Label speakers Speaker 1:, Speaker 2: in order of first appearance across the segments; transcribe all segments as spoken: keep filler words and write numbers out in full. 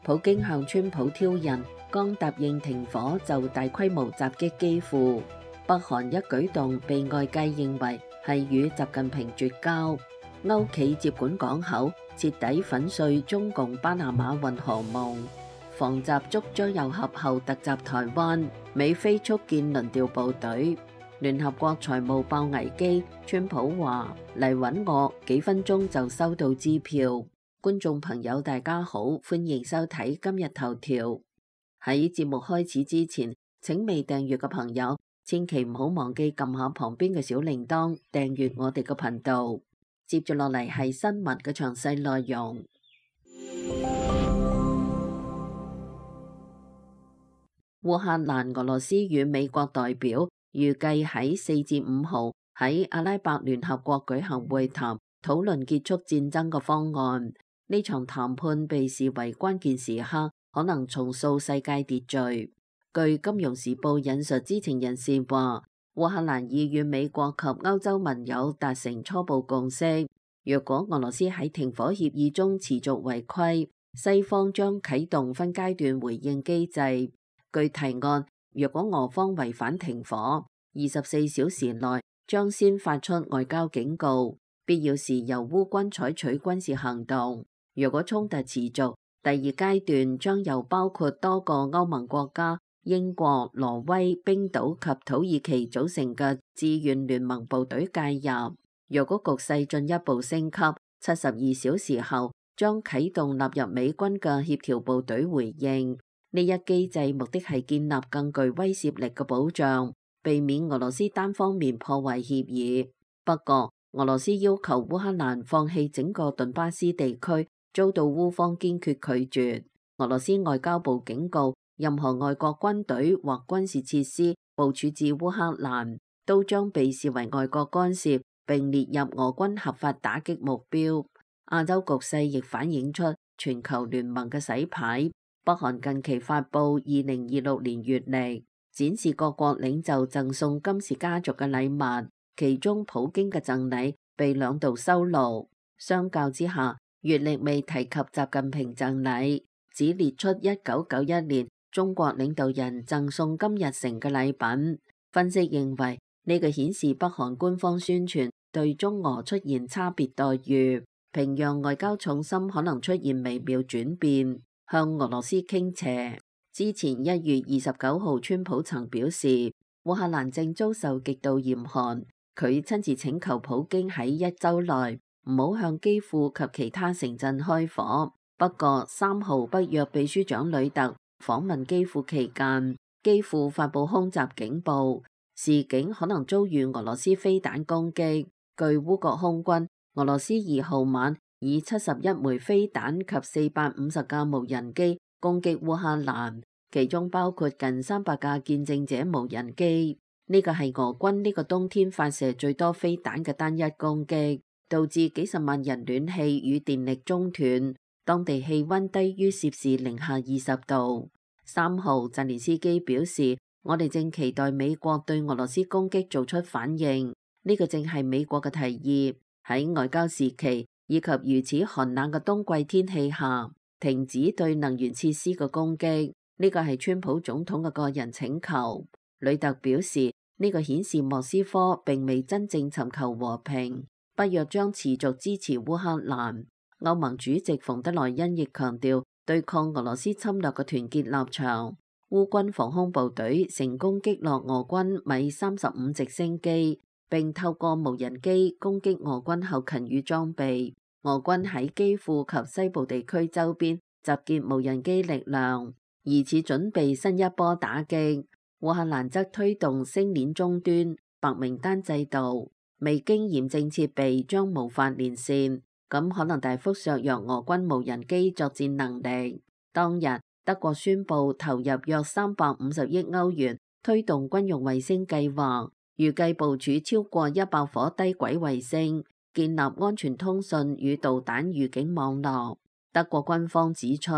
Speaker 1: 普京向川普挑釁，剛答應停火就大規模襲擊基輔。北韓一舉動被外界認為係與習近平絕交。歐企接管港口，徹底粉碎中共巴拿馬運河夢。防習觸將右合後突襲台灣，美菲速建輪調部隊。聯合國財務爆危機，川普話嚟揾我，幾分鐘就收到支票。觀眾朋友大家好，歡迎收睇今日頭條。喺節目開始之前，請未訂閱嘅朋友千祈唔好忘記撳下旁邊嘅小鈴鐺，訂閱我哋嘅頻道。接住落嚟係新聞嘅詳細內容。烏克蘭、俄羅斯與美國代表預計喺四至五號喺阿拉伯聯合國舉行會談，討論結束戰爭嘅方案。呢場談判被視為關鍵時刻，可能重塑世界秩序。據《金融時報》引述知情人士話，烏克蘭已與美國及歐洲盟友達成初步共識。若果俄羅斯喺停火協議中持續違規，西方將啟動分階段回應機制。據提案，若果俄方違反停火，二十四小時內將先發出外交警告，必要時由烏軍採取軍事行動。若果衝突持續，第二階段將由包括多個歐盟國家、英國、挪威、冰島及土耳其組成嘅志願聯盟部隊介入。若果局勢進一步升級，七十二小時後將啟動納入美軍嘅協調部隊回應。呢一機制目的係建立更具威懾力嘅保障，避免俄羅斯單方面破壞協議。不過，俄羅斯要求烏克蘭放棄整個頓巴斯地區，遭到烏方堅決拒絕。俄羅斯外交部警告，任何外國軍隊或軍事設施部署至烏克蘭，都將被視為外國干涉，並列入俄軍合法打擊目標。亞洲局勢亦反映出全球聯盟嘅洗牌。北韓近期發布二零二六年月曆，展示各國領袖贈送金氏家族嘅禮物，其中普京嘅贈禮被兩度收錄。相較之下，月曆未提及習近平贈禮，只列出一九九一年中國領導人贈送金日成嘅禮品。分析認為，呢個顯示北韓官方宣傳對中俄出現差別待遇，平壤外交重心可能出現微妙轉變，向俄羅斯傾斜。之前一月二十九號，川普曾表示，烏克蘭正遭受極度嚴寒，佢親自請求普京喺一周內唔好向基輔及其他城鎮開火。不過三號北約秘書長呂特訪問基輔期間，基輔發布空襲警報，示警可能遭遇俄羅斯飛彈攻擊。據烏國空軍，俄羅斯二號晚以七十一枚飛彈及四百五十架無人機攻擊烏克蘭，其中包括近三百架見證者無人機。呢個係俄軍呢個冬天發射最多飛彈嘅單一攻擊，導致幾十萬人暖氣與電力中斷，當地氣溫低於攝氏零下二十度。三號，澤連斯基表示，我哋正期待美國對俄羅斯攻擊做出反應，呢個正係美國嘅提議，喺外交時期以及如此寒冷嘅冬季天氣下，停止對能源設施嘅攻擊，呢個係川普總統嘅個人請求。呂特表示，呢個顯示莫斯科並未真正尋求和平，北約將持續支持烏克蘭。歐盟主席馮德萊恩亦強調對抗俄羅斯侵略嘅團結立場。烏軍防空部隊成功擊落俄軍米三十五直升機，並透過無人機攻擊俄軍後勤與裝備。俄軍喺基輔及西部地區周邊集結無人機力量，疑似準備新一波打擊。烏克蘭則推動星鏈終端白名單制度，未經驗證設備將無法連線，咁可能大幅削弱俄軍無人機作戰能力。當日，德國宣布投入約三百五十億歐元推動軍用衛星計劃，預計部署超過一百顆低軌衛星，建立安全通訊與導彈預警網絡。德國軍方指出，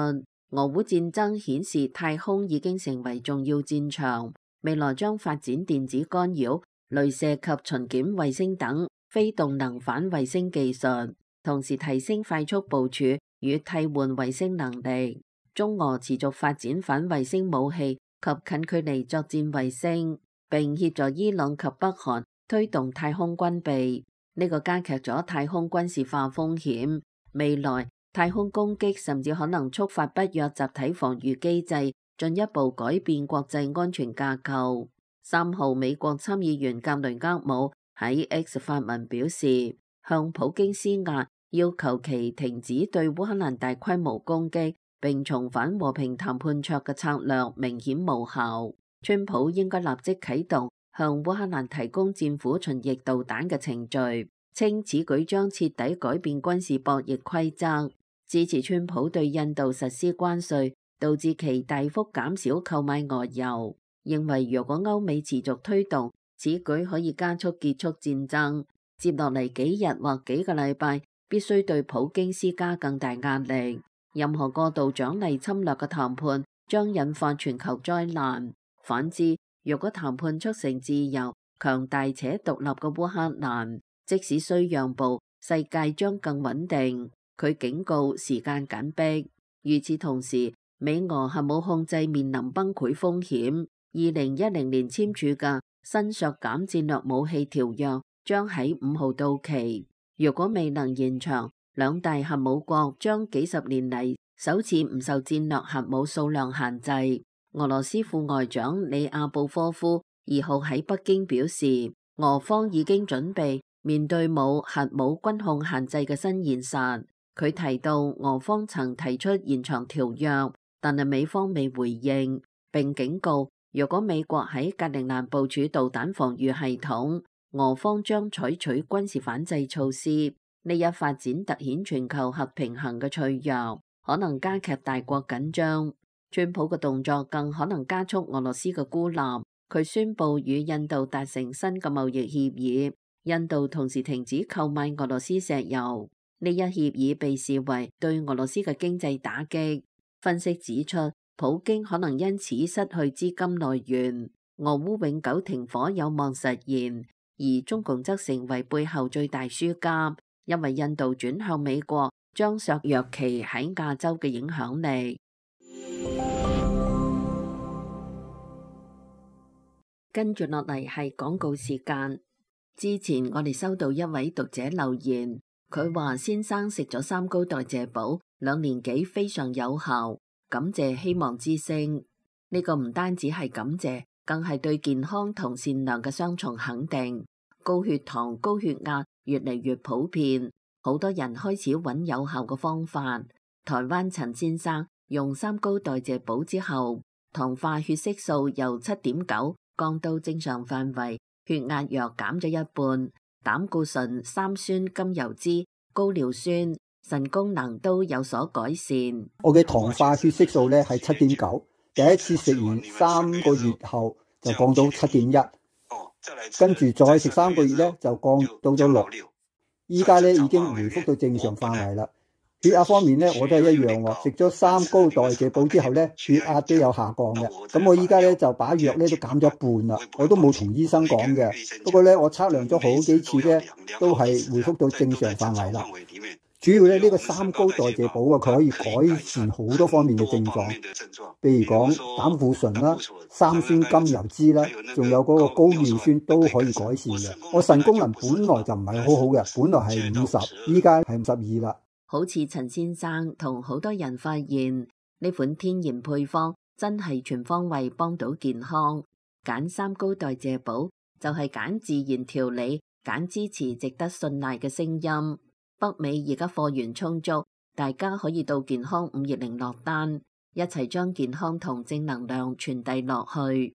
Speaker 1: 俄烏戰爭顯示太空已經成為重要戰場，未來將發展電子干擾、雷射及巡檢衛星等非動能反衛星技術，同時提升快速部署與替換衛星能力。中俄持續發展反衛星武器及近距離作戰衛星，並協助伊朗及北韓推動太空軍備，呢個加劇咗太空軍事化風險。未來太空攻擊甚至可能觸發北約集體防禦機制，進一步改變國際安全架構。三號，美國參議員格雷厄姆喺 X 發文表示，向普京施壓，要求其停止對烏克蘭大規模攻擊，並重返和平談判桌嘅策略明顯無效。川普應該立即啟動向烏克蘭提供戰斧巡弋導彈嘅程序，稱此舉將徹底改變軍事博弈規則。支持川普對印度實施關稅，導致其大幅減少購買俄油，認為如果歐美持續推動，此舉可以加速結束戰爭。接落嚟幾日或幾個禮拜，必須對普京施加更大壓力。任何過度獎勵侵略嘅談判將引發全球災難。反之，若果談判促成自由、強大且獨立嘅烏克蘭，即使需讓步，世界將更穩定。佢警告時間緊迫。與此同時，美俄核武控制面臨崩潰風險。二零一零年簽署嘅新削減戰略武器條約將喺五號到期。如果未能延長，兩大核武國將幾十年嚟首次唔受戰略核武數量限制。俄羅斯副外長里亞布科夫二號喺北京表示，俄方已經準備面對冇核武軍控限制嘅新現實。佢提到俄方曾提出延長條約，但係美方未回應，並警告如果美國喺格陵蘭部署導彈防禦系統，俄方將採取軍事反制措施。呢一發展凸顯全球核平衡嘅脆弱，可能加劇大國緊張。川普嘅動作更可能加速俄羅斯嘅孤立。佢宣布與印度達成新嘅貿易協議，印度同時停止購買俄羅斯石油。呢一協議被視為對俄羅斯嘅經濟打擊。分析指出，普京可能因此失去資金來源，俄烏永久停火有望實現，而中共則成為背後最大輸家，因為印度轉向美國將削弱其喺亞洲嘅影響力。跟住落嚟係廣告時間。之前我哋收到一位讀者留言。佢話先生食咗三高代謝寶兩年幾非常有效，感謝希望之聲。呢個唔單止係感謝，更係對健康同善良嘅雙重肯定。高血糖、高血壓越嚟越普遍，好多人開始揾有效嘅方法。台灣陳先生用三高代謝寶之後，糖化血色素由七點九降到正常範圍，血壓藥減咗一半。膽固醇、三酸甘油酯、高尿酸、腎功能都有所改善。
Speaker 2: 我嘅糖化血色素咧係七點九，第一次食完三個月後就降到七點一，跟住再食三個月咧就降到咗六，依家咧已經回復到正常範圍啦。血壓方面咧我都係一樣喎，食咗三高代謝寶之後咧血壓都有下降嘅。咁我依家咧就把藥咧都減咗一半啦，我都冇同醫生講嘅。不過咧我測量咗好幾次咧都係回復到正常範圍啦。主要咧呢個三高代謝寶啊，佢可以改善好多方面嘅症狀，譬如講膽固醇啦、三酸甘油酯啦，仲有嗰個高尿酸都可以改善嘅。我腎功能本來就唔係好好嘅，本來係五十，依家係五十二啦。
Speaker 1: 好似陳先生同好多人發現呢款天然配方真係全方位幫到健康。揀三高代謝寶就係揀自然調理，揀支持值得信賴嘅聲音。北美而家貨源充足，大家可以到健康五二零落單，一齊將健康同正能量傳遞落去。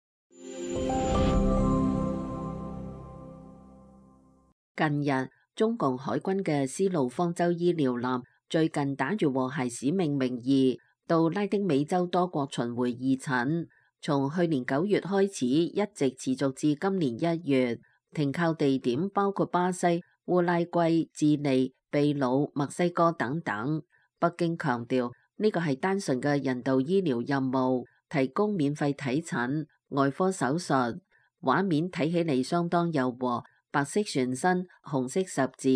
Speaker 1: 近日中共海軍嘅絲路方舟醫療艦最近打住和諧使命名義到拉丁美洲多國巡迴義診，從去年九月開始一直持續至今年一月，停靠地點包括巴西、烏拉圭、智利、秘魯、墨西哥等等。北京強調呢個係單純嘅人道醫療任務，提供免費睇診、外科手術。畫面睇起嚟相當柔和。白色船身，紅色十字，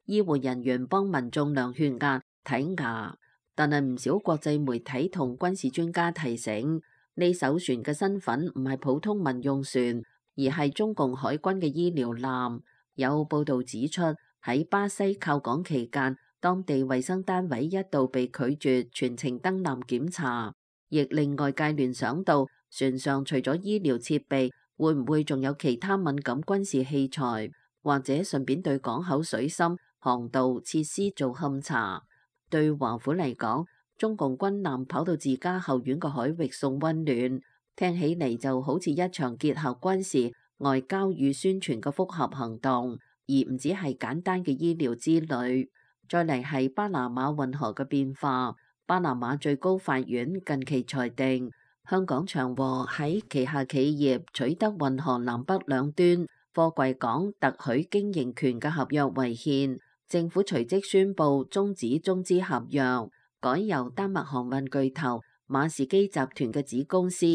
Speaker 1: 醫護人員幫民眾量血壓、睇牙。但係唔少國際媒體同軍事專家提醒，呢艘船嘅身份唔係普通民用船，而係中共海軍嘅醫療艦。有報道指出，喺巴西靠港期間，當地衛生單位一度被拒絕全程登艦檢查，亦令外界聯想到船上除咗醫療設備，會唔會仲有其他敏感軍事器材，或者順便對港口水深、航道設施做勘查。對華府嚟講，中共軍艦跑到自家後院嘅海域送溫暖，聽起嚟就好似一場結合軍事、外交與宣傳嘅複合行動，而唔只係簡單嘅醫療之旅。再嚟係巴拿馬運河嘅變化，巴拿馬最高法院近期裁定，香港長和喺旗下企業取得運河南北兩端貨櫃港特許經營權嘅合約違憲，政府隨即宣布終止中資合約，改由丹麥航運巨頭馬士基集團嘅子公司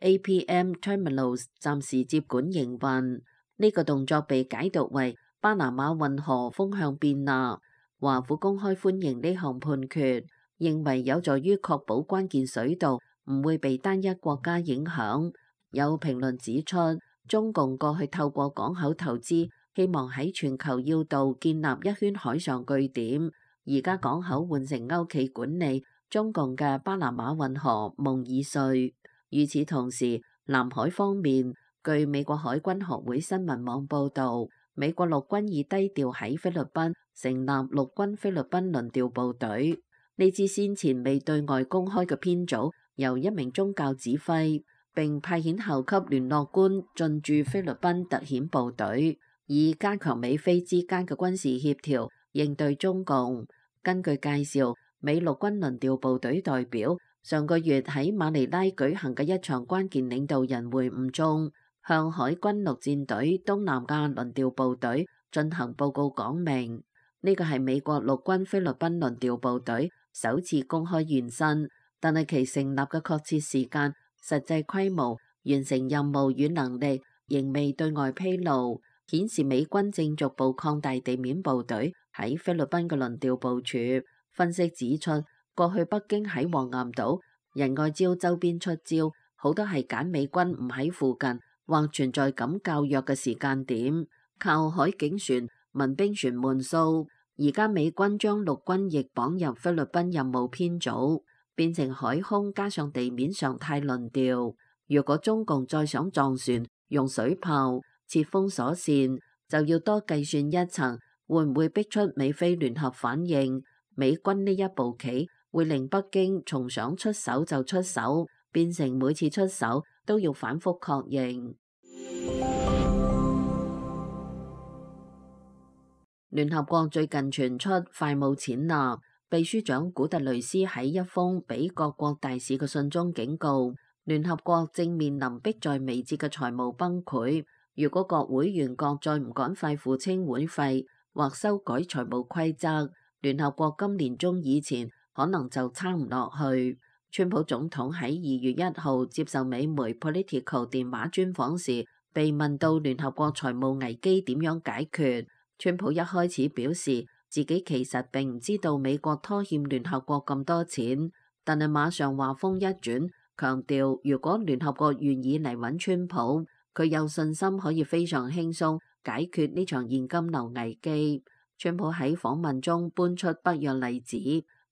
Speaker 1: A P M Terminals 暫時接管營運。呢個動作被解讀為巴拿馬運河風向變啦。華府公開歡迎呢項判決，認為有助於確保關鍵水道唔會被單一國家影響。有評論指出，中共過去透過港口投資，希望喺全球要道建立一圈海上據點，而家港口換成歐企管理，中共嘅巴拿馬運河夢已碎。與此同時，南海方面，據美國海軍學會新聞網報導，美國陸軍已低調喺菲律賓成立陸軍菲律賓輪調部隊。呢支先前未對外公開嘅編組，由一名宗教指揮，並派遣校級聯絡官進駐菲律賓特遣部隊，以加強美菲之間嘅軍事協調，應對中共。根據介紹，美陸軍輪調部隊代表上個月喺馬尼拉舉行嘅一場關鍵領導人會晤中，向海軍陸戰隊東南亞輪調部隊進行報告，講明呢個係美國陸軍菲律賓輪調部隊首次公開現身，但係其成立嘅確切時間、實際規模、完成任務與能力仍未對外披露，顯示美軍正逐步擴大地面部隊喺菲律賓嘅輪調部署。分析指出，過去北京喺黃岩島、仁愛礁周邊出招，好多係揀美軍唔喺附近或存在感較弱嘅時間點，靠海警船、民兵船悶掃。而家美軍將陸軍亦綁入菲律賓任務編組，變成海空加上地面常態輪調。如果中共再想撞船，用水炮設封鎖線，就要多計算一層，會唔會逼出美菲聯合反應？美軍呢一步棋會令北京從想出手就出手，變成每次出手都要反覆確認。聯合國最近傳出快冇錢啦，秘書長古特雷斯喺一封俾各國大使嘅信中警告，聯合國正面臨迫在眉睫嘅財務崩潰。如果各會員國再唔趕快付清會費或修改財務規則，聯合國今年中以前可能就撐唔落去。川普總統喺二月一號接受美媒 Politico 電話專訪時，被問到聯合國財務危機點樣解決，川普一開始表示自己其實並唔知道美國拖欠聯合國咁多錢，但係馬上話鋒一轉，強調如果聯合國願意嚟揾川普，佢有信心可以非常輕鬆解決呢場現金流危機。川普喺訪問中搬出北約例子，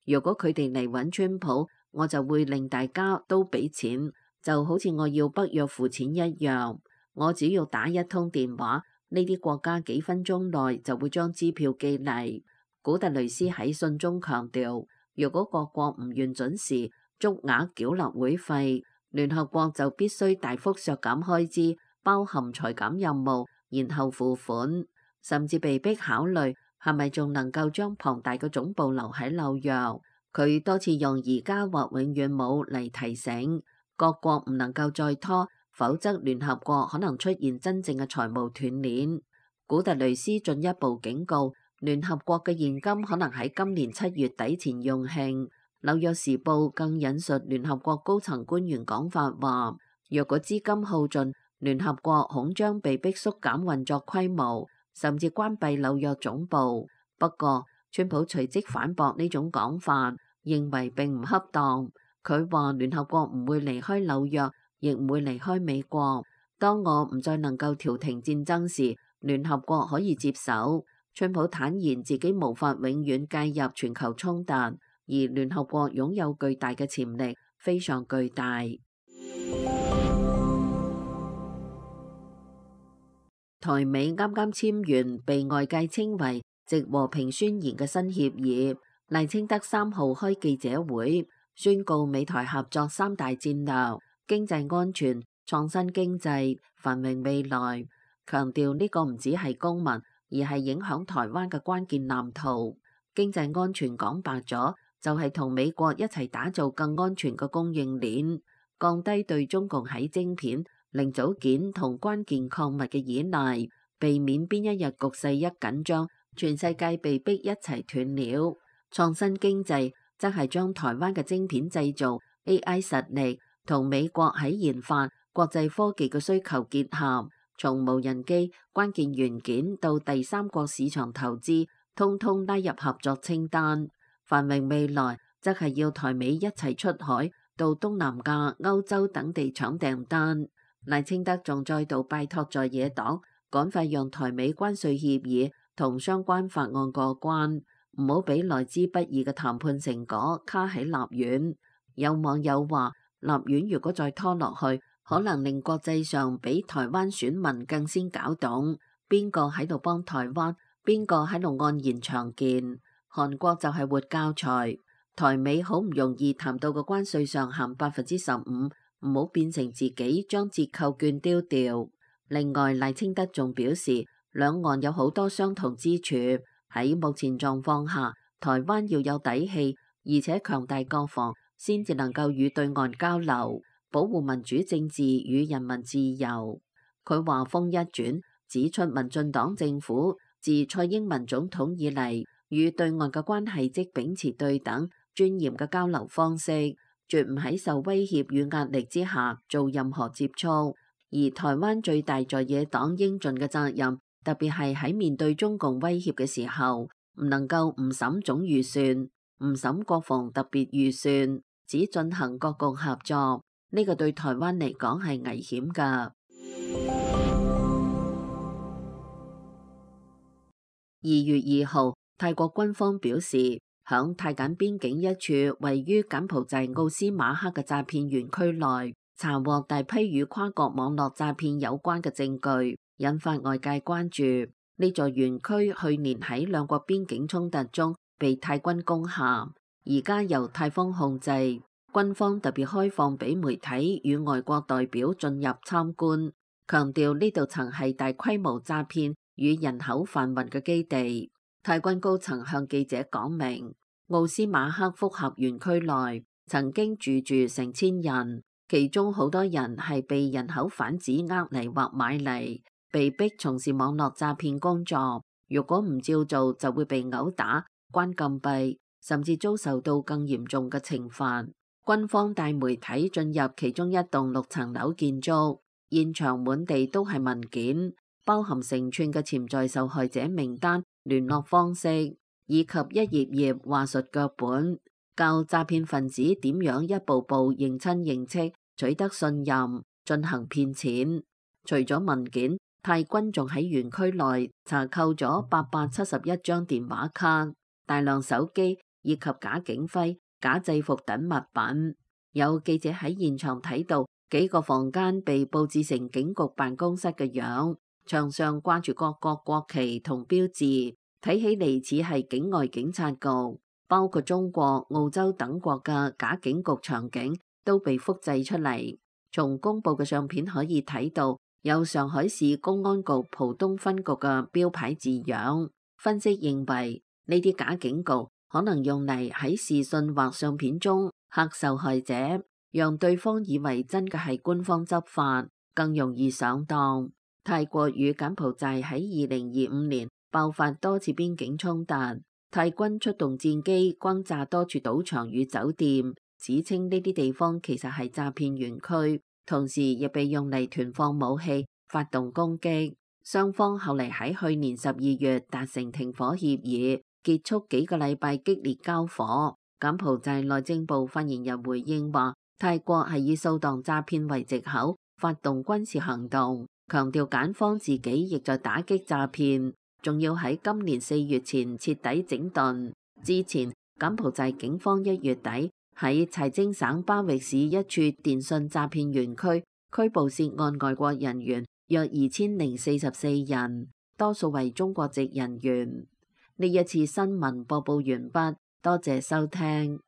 Speaker 1: 如果佢哋嚟揾川普，我就會令大家都俾錢，就好似我要北約付錢一樣。我只要打一通電話，呢啲國家幾分鐘內就會將支票寄嚟。古特雷斯喺信中強調，如果各國唔願準時足額繳納會費，聯合國就必須大幅削減開支，包含裁減任務，然後付款，甚至被迫考慮係咪仲能夠將龐大嘅總部留喺紐約。佢多次用而家或永遠冇嚟提醒各國唔能夠再拖，否則聯合國可能出現真正嘅財務斷鏈。古特雷斯進一步警告，聯合國嘅現金可能喺今年七月底前用罄。紐約時報更引述聯合國高層官員講法話，若果資金耗盡，聯合國恐將被迫縮減運作規模，甚至關閉紐約總部。不過，川普隨即反駁呢種講法。認為並唔恰當。佢話聯合國唔會離開紐約，亦唔會離開美國。當我唔再能夠調停戰爭時，聯合國可以接手。川普坦言自己無法永遠介入全球衝突，而聯合國擁有巨大嘅潛力，非常巨大。台美啱啱簽完被外界稱為藉和平宣言嘅新協議，賴清德三號開記者會，宣告美台合作三大戰略：經濟安全、創新經濟、繁榮未來，強調呢個唔只係公民，而係影響台灣嘅關鍵藍圖。經濟安全講白咗，就係同美國一齊打造更安全嘅供應鏈，降低對中共喺晶片、零組件同關鍵礦物嘅依賴，避免邊一日局勢一緊張，全世界被逼一齊斷了。創新經濟則係將台灣嘅晶片製造、A I 實力同美國喺研發國際科技嘅需求結合，從無人機、關鍵元件到第三國市場投資，通通拉入合作清單。繁榮未來則係要台美一齊出海到東南亞、歐洲等地搶訂單。賴清德仲再度拜託在野黨趕快讓台美關稅協議同相關法案過關，唔好俾來之不易嘅談判成果卡喺立院。有網友話，立院如果再拖落去，可能令國際上比台灣選民更先搞懂邊個喺度幫台灣，邊個喺度按言長見。韓國就係活教材，台美好唔容易談到個關稅上限百分之十五，唔好變成自己將折扣券丟掉。另外，賴清德仲表示，兩岸有好多相同之處，喺目前狀況下，台灣要有底氣，而且強大國防，先至能夠與對岸交流，保護民主政治與人民自由。佢話風一轉，指出民進黨政府自蔡英文總統以嚟，與對岸嘅關係即秉持對等、尊嚴嘅交流方式，絕唔喺受威脅與壓力之下做任何接觸。而台灣最大在野黨應盡嘅責任，特別係喺面對中共威脅嘅時候，唔能夠唔審總預算、唔審國防特別預算，只進行國共合作。呢個對台灣嚟講係危險㗎。二月二號，泰國軍方表示，響泰柬邊境一處位於柬埔寨奧斯馬克嘅詐騙園區內，查獲大批與跨國網絡詐騙有關嘅證據，引發外界關注。呢座園區去年喺兩國邊境衝突中被泰軍攻下，而家由泰方控制。軍方特別開放俾媒體與外國代表進入參觀，強調呢度曾係大規模詐騙與人口販運嘅基地。泰軍高層向記者講明，奧斯馬克複合園區內曾經住住成千人，其中好多人係被人口販子呃嚟或買嚟，被逼從事網絡詐騙工作。如果唔照做，就會被毆打、關禁閉，甚至遭受到更嚴重嘅懲罰。軍方帶媒體進入其中一棟六層樓建築，現場滿地都係文件，包含成串嘅潛在受害者名單、聯絡方式，以及一頁頁話術腳本，教詐騙分子點樣一步步認親認戚，取得信任，進行騙錢。除咗文件，泰軍仲喺園區內查扣咗八百七十一張電話卡、大量手機以及假警徽、假制服等物品。有記者喺現場睇到幾個房間被佈置成警局辦公室嘅樣，牆上掛住各國國旗同標誌，睇起嚟似係境外警察局，包括中國、澳洲等國嘅假警局場景都被複製出嚟。從公佈嘅相片可以睇到，有上海市公安局浦東分局嘅標牌字樣。分析認為，呢啲假警局可能用嚟喺視訊或相片中嚇受害者，讓對方以為真嘅係官方執法，更容易上當。泰國與柬埔寨喺二零二五年爆發多次邊境衝突，泰軍出動戰機轟炸多處賭場與酒店，指稱呢啲地方其實係詐騙園區，同時亦被用嚟囤放武器、發動攻擊。雙方後嚟喺去年十二月達成停火協議，結束幾個禮拜激烈交火。柬埔寨內政部發言人回應話，泰國係以掃蕩詐騙為藉口發動軍事行動，強調柬方自己亦在打擊詐騙，仲要喺今年四月前徹底整頓。之前，柬埔寨警方一月底喺財政省巴育市一處電信詐騙園區拘捕涉案外國人員約二千零四十四人，多數為中國籍人員。呢一次新聞播報完畢，多謝收聽。